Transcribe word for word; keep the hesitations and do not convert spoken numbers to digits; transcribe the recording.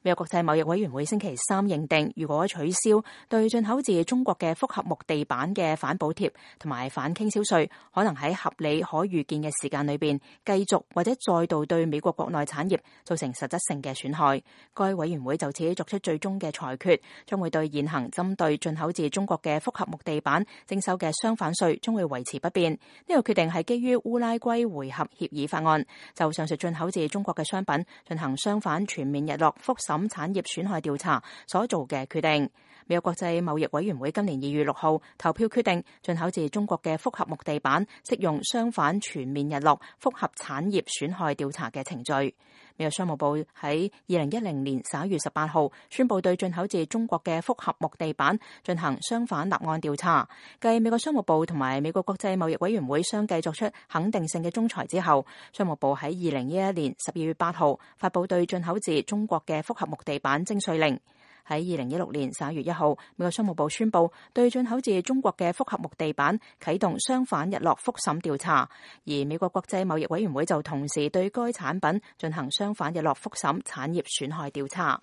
美國國際貿易委員會星期三認定，如果取消對進口自中國嘅複合木地板嘅反補貼同埋反傾銷稅，可能喺合理可預見嘅時間裏邊繼續或者再度對美國國內產業造成實質性嘅損害。該委員會就此作出最終嘅裁決，將會對現行針對進口自中國嘅複合木地板徵收嘅雙反稅將會維持不變。呢個決定係基於烏拉圭回合協議法案，就上述進口自中國嘅商品進行相反全面日落複審產業損害調查所做嘅決定。美國國際貿易委員會今年二月六號投票決定，進口自中國嘅複合木地板適用相反全面日落複合產業損害調查嘅程序。美國商務部喺二零一零年十一月十八號宣布對進口自中國嘅複合木地板進行相反立案調查。繼美國商務部同埋美國國際貿易委員會相繼作出肯定性嘅仲裁之後，商務部喺二零一一年十二月八號發布對進口自中國嘅複合木地板徵稅令。喺二零一六年十一月一號，美國商務部宣布對進口自中國嘅複合木地板啟動相反日落複審調查，而美國國際貿易委員會就同時對該產品進行相反日落複審產業損害調查。